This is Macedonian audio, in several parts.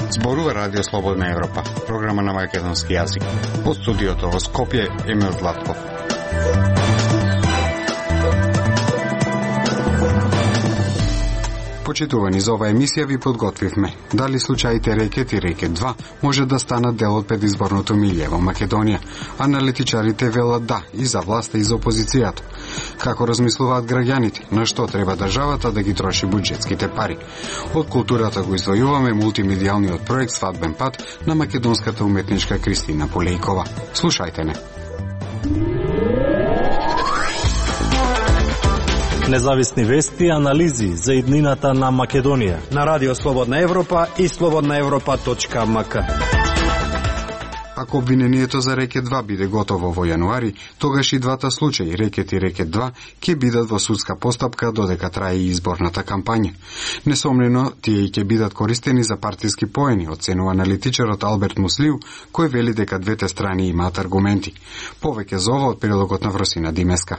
Зборува Радио Слободна Европа, програма на македонски јазик. По студиото во Скопје Емил Златков. Почитувани, за оваа емисија ви подготвивме дали случаите Рекет и Рекет 2 може да станат дел од предизборното милје во Македонија. Аналитичарите велат да и за власта и за опозицијата. Како размислуваат граѓаните, на што треба државата да ги троши буџетските пари? Од културата го издвојуваме мултимедијалниот проект Свадбен пат на македонската уметничка Кристина Полејкова. Слушајте не. Независни вести и анализи за иднината на Македонија на Радио Слободна Европа и slobodnaevropa.mk. Ако обвинението за Рекет 2 биде готово во јануари, тогаш и двата случаи, Рекет и Рекет 2, ќе бидат во судска постапка додека трае и изборната кампања. Несомнено, тие ќе бидат користени за партиски поени, оценува аналитичарот Алберт Муслиу, кој вели дека двете страни имаат аргументи. Повеќе за ова од прилогот на Вросина Димеска.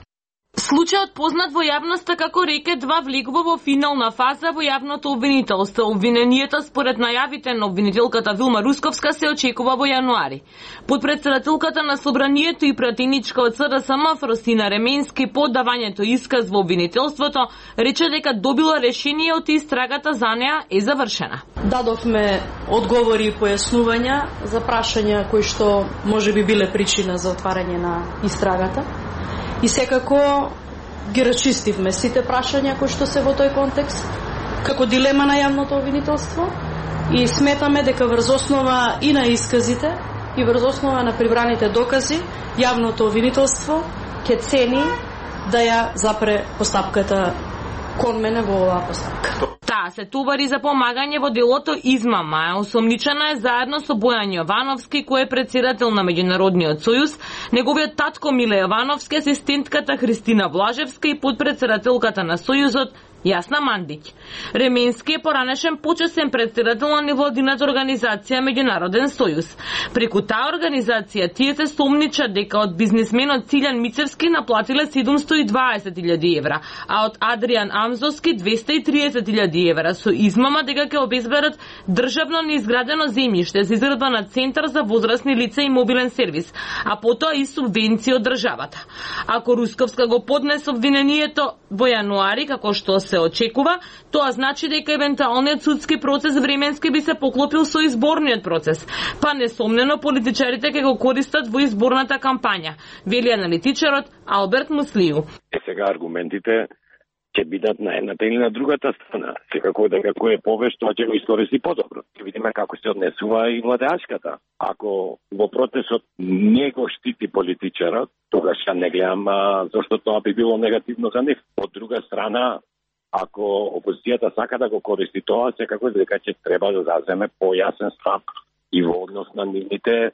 Случајот познат во јавноста како Рекет 2 влегува во финална фаза во јавното обвинителство. Обвинението според најавите на обвинителката Вилма Русковска се очекува во јануари. Подпредседателката на Собранието и пратеничка од СДСМ Фросина Ременски по давањето исказ во обвинителството рече дека добила решение од истрагата за неа е завршена. Дадовме одговори и појаснувања за прашања кои што можеби биле причина за отварање на истрагата. И секако ги расчистивме сите прашања кои што се во тој контекст, како дилема на јавното обвинителство, и сметаме дека врз основа и на исказите и врз основа на прибраните докази, јавното обвинителство ќе цени да ја запре постапката кон мене во оваа постапка. Таа се товари за помагање во делото измама. Осомничена е заедно со Бојан Јовановски, кој е председател на Меѓународниот сојуз, неговиот татко Миле Јовановски, асистентката Христина Блажевска и подпредседателката на сојузот Јасна Мандиќ. Ременски е поранешен почесен председател на невладината организација Меѓународен сојуз. Преку таа организација тие се сомничат дека од бизнисменот Цилјан Мицевски наплатиле 720.000 евра, а од Адријан Амзовски 230.000 евра со измама дека ќе обезбедат државно неизградено земјиште за изградба на центар за возрасни лица и мобилен сервис, а потоа и субвенции од државата. Ако Русковска го поднесе обвинението во јануари, како што се очекува, тоа значи дека евентуалниот судски процес временски би се поклопил со изборниот процес, па несомнено политичарите ќе го користат во изборната кампања, вели аналитичарот Алберт Муслиу. Сега аргументите ќе бидат на едната или на другата страна. Секако дека кој е повеш, тоа ќе го искористи подобро. Ќе видиме како се однесува и владеачката. Ако во процесот не го штити политичарот, тогаш ја не гледам зашто тоа би било негативно за нив. Од друга страна, ако опозицијата сака да го користи тоа, секако дека ќе треба да заземе појасен став и во однос на нивните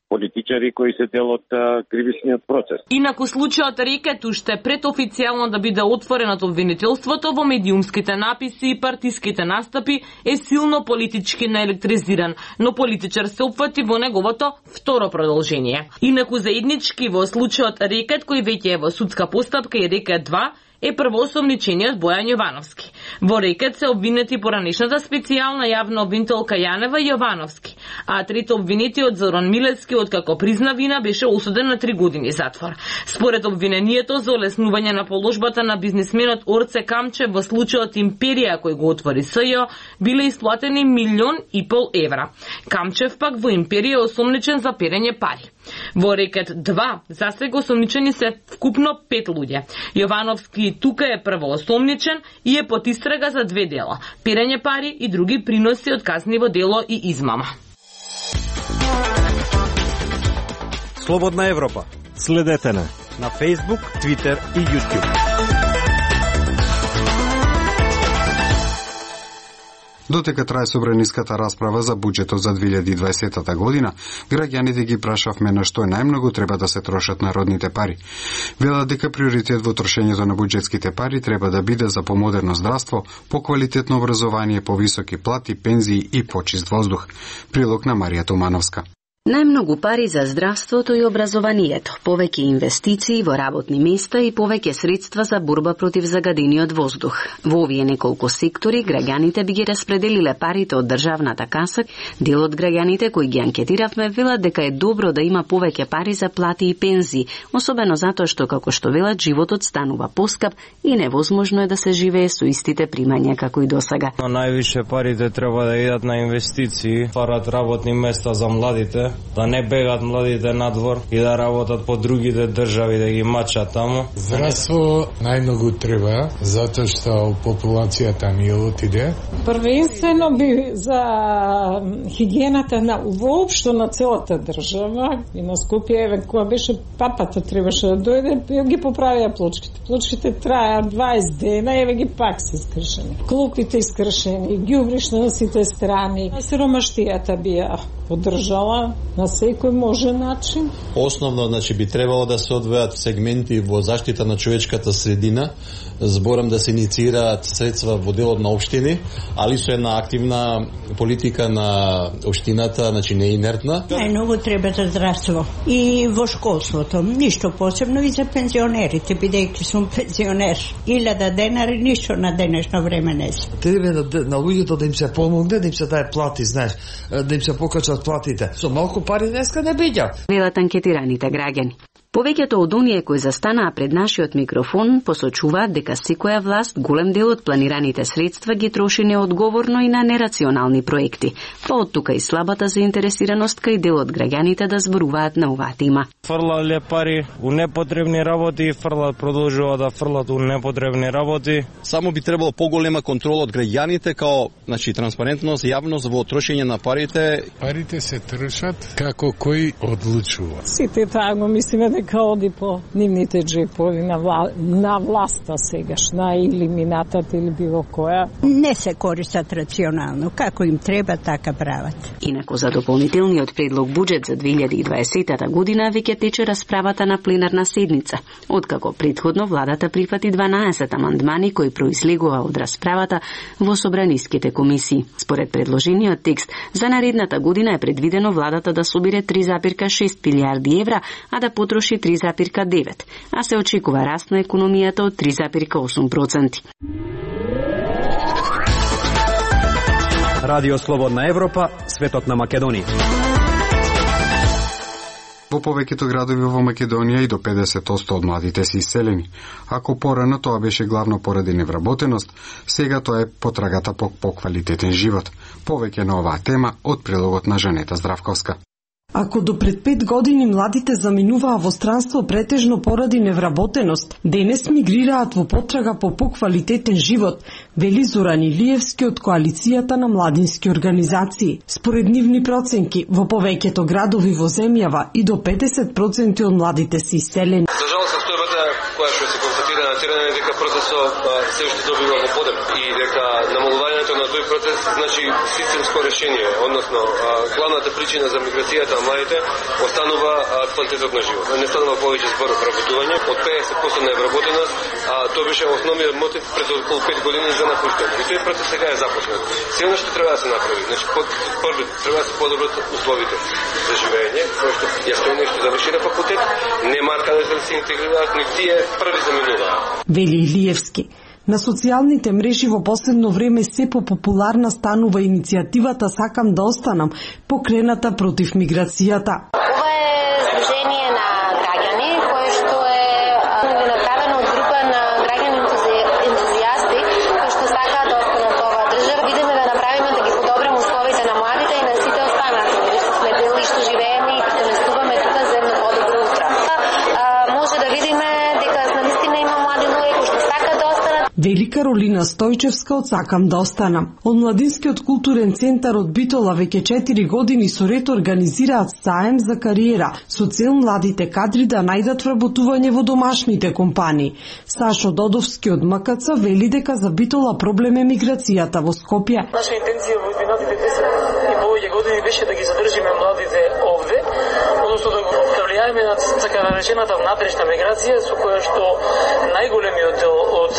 политичари кои се дел од кривичниот процес. Инаку случајот Рекет уште пред официјално да биде отворен од обвинителството во медиумските написи и партиските настапи е силно политички наелектризиран, но политичар се опфати во неговото второ продолжение. Инаку заеднички во случајот Рекет кој веќе е во судска постапка и Рекет 2 е првоосомничениот Бојан Јовановски. Во Рекет се обвинети поранешната специјална јавна обвинителка Јанева Јовановски, а трето обвинетиот Зоран Милецки, откако призна вина, беше осуден на 3 години затвор. Според обвинението за олеснување на положбата на бизнисменот Орце Камчев во случајот Империја кој го отвори СЈО, биле исплатени 1,5 милион евра. Камчев пак во Империја е осомничен за перење пари. Во Рекет 2 засега осомничени се вкупно 5 луѓе. Јовановски тука е првоосомничен и е под истрага за 2 дела: перење пари и други приноси од казниво дело и измама. Слободна Европа. Следете на Facebook, Twitter и YouTube. Дотека трае собраниската расправа за буџетот за 2020 година, граѓаните ги прашавме на што најмногу треба да се трошат народните пари. Велат дека приоритет во трошењето на буџетските пари треба да биде за помодерно здравство, поквалитетно образование, повисоки плати, пензии и почист воздух. Прилог на Марија Тумановска. Најмногу пари за здравството и образованието, повеќе инвестиции во работни места и повеќе средства за борба против загадениот воздух. Во овие неколку сектори граѓаните би ги распределиле парите од државната каса. Дел од граѓаните кои ги анкетиравме велат дека е добро да има повеќе пари за плати и пензии, особено затоа што, како што велат, животот станува поскап и невозможно е да се живее со истите примања како и досега. Највише парите треба да идат на инвестиции, парат работни места за младите, да не бегат младите надвор и да работат по другите држави, да ги мачат таму. Здравство најмногу треба, затоа што популацијата ни отиде. Првенствено би за хигиената на воопшто на целата држава и на Скопје, еве кога беше папата требаше да дојде, ги поправија плочките. Плочките траја 20 дена, еве ги пак се скршени. Клупите искршени, ѓубришно на сите страни. Сиромаштијата би ја поддржала на секој може начин. Основно, значи, би требало да се одвојат сегменти во заштита на човечката средина, зборам да се инициираат средства во делот на општини, али со една активна политика на општината, значи не инертна. Најмногу треба за здравство и во школството, ништо посебно и за пензионерите, бидејќи сум пензионер. 1000 денари ништо на денешно време не се. Треба на луѓето да им се помогне, да им се даде плати, знаеш, да им се покачат платите. Со малку пари днеска не биѓа. Велат анкетираните граѓани. Повеќето од оние кои застанаа пред нашиот микрофон посочуваат дека секоја власт голем дел од планираните средства ги троши неодговорно и на нерационални проекти. Па од тука и слабата заинтересираност кај дел од граѓаните да зборуваат на оваа тема. Фрлале пари у непотребни работи и продолжува да фрлат у непотребни работи. Само би требало поголема контрола од граѓаните, као, значи, транспарентност, јавност во трошење на парите. Парите се трошат како кој одлучува. Сите таа го мислиме дека оди по нивните джепови на власта сегашна или минатата или било која. Не се користат рационално, како им треба така прават. Инаку за дополнителниот предлог буџет за 2020 година веќе тече расправата на пленарна седница, откако претходно владата прифати 12 амандмани кои произлегува од расправата во собраниските комисии. Според предложениот текст, за наредната година е предвидено владата да собере 3,6 милиарди евра, а да потроши 3,9, а се очекува раст на економијата од 3,8%. Радио Слободна Европа, светот на Македонија. Во повеќето градови во Македонија и до 50% од младите се иселени. Ако порано тоа беше главно поради невработеност, сега тоа е потрагата по поквалитетен живот. Повеќе на оваа тема од прилогот на Жанета Здравковска. Ако до пред 5 години младите заминуваа во странство претежно поради невработеност, денес мигрираат во потрага по поквалитетен живот, вели Зоран Илиевски од коалицијата на младински организации. Според нивни проценки, во повеќето градови во земјава и до 50% од младите се иселени. За жал состојбата која што се констатира на терен е дека процесот се уште добива во подем и дека намалувањето на тој процес значи системско решение, односно главната причина за миграцијата на младите останува квалитетот на живот. Не станува повеќе збор вработување, од 50% на вработеност, тоа беше основниот мотив пред околу 5 години за напуштање. И тој процес сега е започнат. Се што треба да се направи, значи прво треба да се подобрат условите за живење, кој што јасно нешто заврши на факултет, не марка да се интегрираат, ни тие први заминуваат. Вели Илиевски. На социјалните мрежи во последно време се популарна станува иницијативата Сакам да останам, покрената против миграцијата. Ова е здружение на граѓани кое што е направено од група на граѓани ентузијасти кои што сакаат да останат во оваа држава. Видиме да направиме да ги подобрим условите на младите и на сите останати, бидејќи сме дели што живееме и претенестуваме тука за едно подобро утро. Може да видиме дека наистина има млади луѓе кои што сакаат да останат. Вели Каролина Стојчевска од Сакам да останам. Од Младинскиот културен центар од Битола веќе 4 години со ред организираат саем за кариера со цел младите кадри да најдат вработување во домашните компании. Сашо Додовски од МКЦ вели дека за Битола проблем е миграцијата во Скопје. Наша интенција во изминатите 10 и повеќе години беше да ги задржиме младите овде, односно да го влијаеме на така наречената внатрешна миграција со која што најголемиот дел од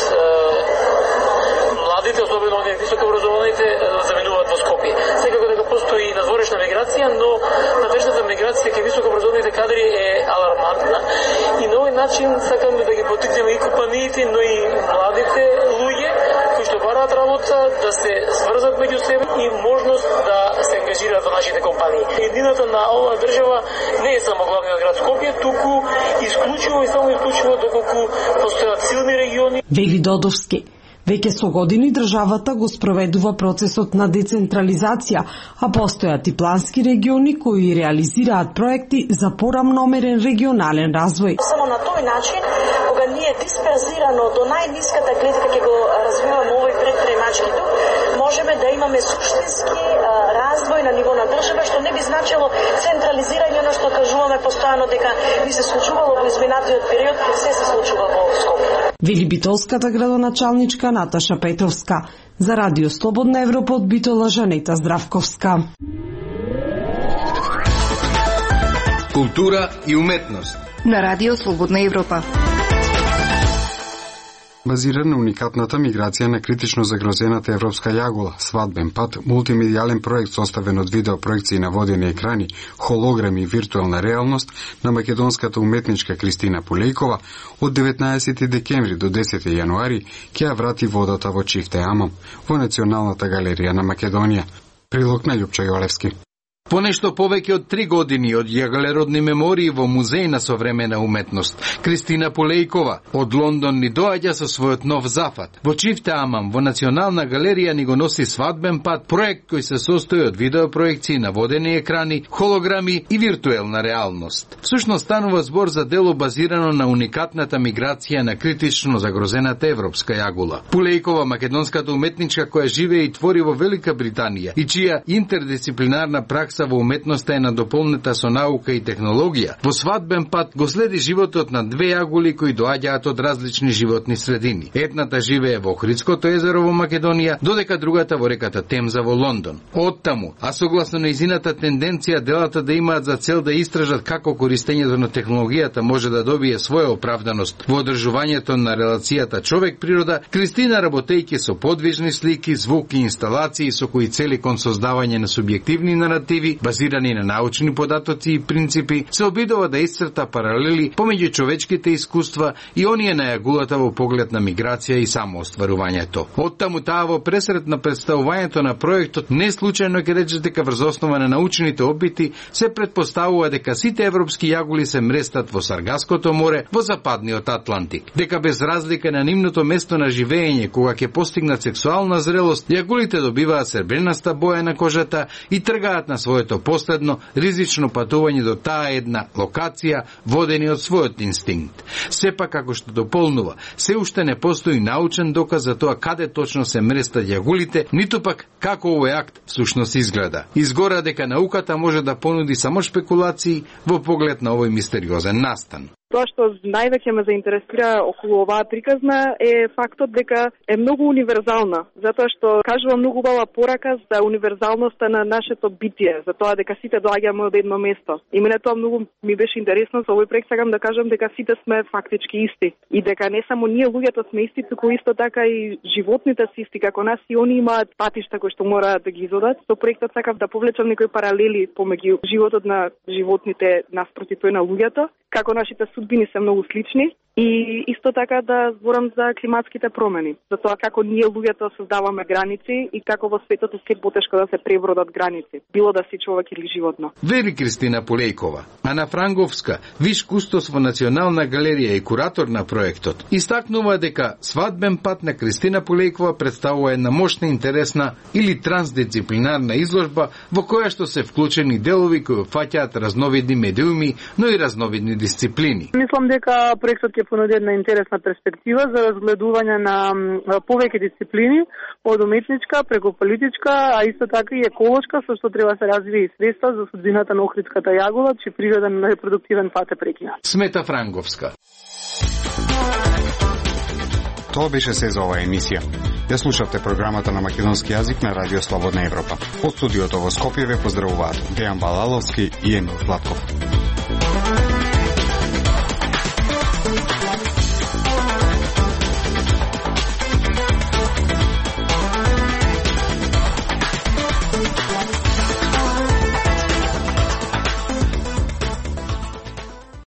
младите, особено оние високо образованите, заминуваат во Скопје. Секако дека постои надворешна миграција, но надворешната миграција кај високообразованите кадри е алармантна и на овој начин сакаме да ги поттикнеме и компаниите, но и младите луѓе кои што бараат работа да се сврзат меѓу себе и можност да се ангажираат во нашите компании. Едината на оваа држава не е само главниот град Скопје, туку исклучиво и само исклучиво доколку постојат силни региони. Вели Додовски. Веќе со години државата го спроведува процесот на децентрализација, а постојат и плански региони кои реализираат проекти за порамномерен регионален развој. Само на тој начин, кога ние дисперзирано до најниската клетка ќе го развиваме овој предприемачки дух, можеме да имаме суштински развој на ниво на држава, што не би значило централизирање, но што кажуваме постојано дека би се случувало во изминатиот период, се случува во Скопје. Вели битолската градоначалничка Наташа Петровска. За Радио Слободна Европа од Битола Жанета Здравковска. Култура и уметност на Радио Слободна Европа. Базиран на уникатната миграција на критично загрозената европска јагула, свадбен пат, мултимедијален проект составен од видеопроекции на водени екрани, холограми и виртуелна реалност на македонската уметничка Кристина Пулејкова, од 19 декември до 10 јануари ќе ја врати водата во Чифте Амам, во Националната галерија на Македонија. Прилог на Љупчо Јолевски. Понешто повеќе од 3 години од јагалеродни мемории во Музеј на современа уметност, Кристина Пулејкова од Лондон ни доаѓа со својот нов зафат. Во Чифте Амам, во Национална галерија ни го носи свадбен пат, проект кој се состои од видеопроекции на водени екрани, холограми и виртуелна реалност. Всушност станува збор за дело базирано на уникатната миграција на критично загрозената европска јагула. Пулејкова, македонската уметничка која живее и твори во Велика Британија и чија интердисциплинарна пракса во уметноста е надополнета со наука и технологија, во свадбен пат го следи животот на 2 јагули кои доаѓаат од различни животни средини. Едната живее во Охридското езеро во Македонија, додека другата во реката Темза во Лондон. Оттаму, а согласно нејзината тенденција делата да имаат за цел да истражат како користењето на технологијата може да добие своја оправданост во одржувањето на релацијата човек-природа, Кристина, работејќи со подвижни слики, звук и инсталации со кои цели кон создавање на субјективни наративи базирани на научни податоци и принципи, се обидува да исцрта паралели помеѓу човечките искуства и оние на јагулата во поглед на миграција и самоостварувањето. Оттаму таа во пресрет на представувањето на проектот не случајно ќе рече дека врз основа на научните опити се предпоставува дека сите европски јагули се мрестат во Саргаското море во западниот Атлантик, дека без разлика на нивното место на живење кога ќе постигнат сексуална зрелост, јагулите добиваат сребренаста боја на кожата и тргаат на своето последно ризично патување до таа една локација, водени од својот инстинкт. Сепак, како што дополнува, се уште не постои научен доказ за тоа каде точно се мрестат јагулите, ниту пак како овој акт всушност изгледа. Изгора дека науката може да понуди само шпекулации во поглед на овој мистериозен настан. Тоа што највеќе ме заинтересира околу оваа приказна е фактот дека е многу универзална, затоа што кажува многу убава порака за универзалноста на нашето битие, за тоа дека сите доаѓаме од едно место. И мене тоа многу ми беше интересно, со овој проект сакам да кажам дека сите сме фактички исти и дека не само ние луѓето сме исти, туку исто така и животните се исти како нас и они имаат патишта кои што мораат да ги изодат. Со проектот сакав да повлечам некои паралели помеѓу животот на животните наспроти тој на луѓето, како нашите судбини се многу слични и исто така да зборам за климатските промени, за тоа како ние луѓето создаваме граници и како во светот е се потешко да се пребродат граници, било да си човек или животно. Вели Кристина Пулејкова. Ана Франговска, виш кустос во Национална галерија и куратор на проектот, истакнува дека свадбен пат на Кристина Пулејкова представува една мощна, интересна или трансдисциплинарна изложба во која што се вклучени делови кои опфаќаат разновидни медиуми, но и разновидни дисциплини. Мислам дека проектот ќе понуди една интересна перспектива за разгледување на повеќе дисциплини, од уметничка преку политичка, а исто така и еколошка, со што треба се развие и средства за судбината на охридската јагула, чиј природен репродуктивен пат е прекинат. Смета Франговска. Тоа беше се за оваа емисија. Ја слушавте програмата на македонски јазик на Радио Слободна Европа. Од студиото во Скопје ве поздравуваат Дејан Балаловски и Емил Златков.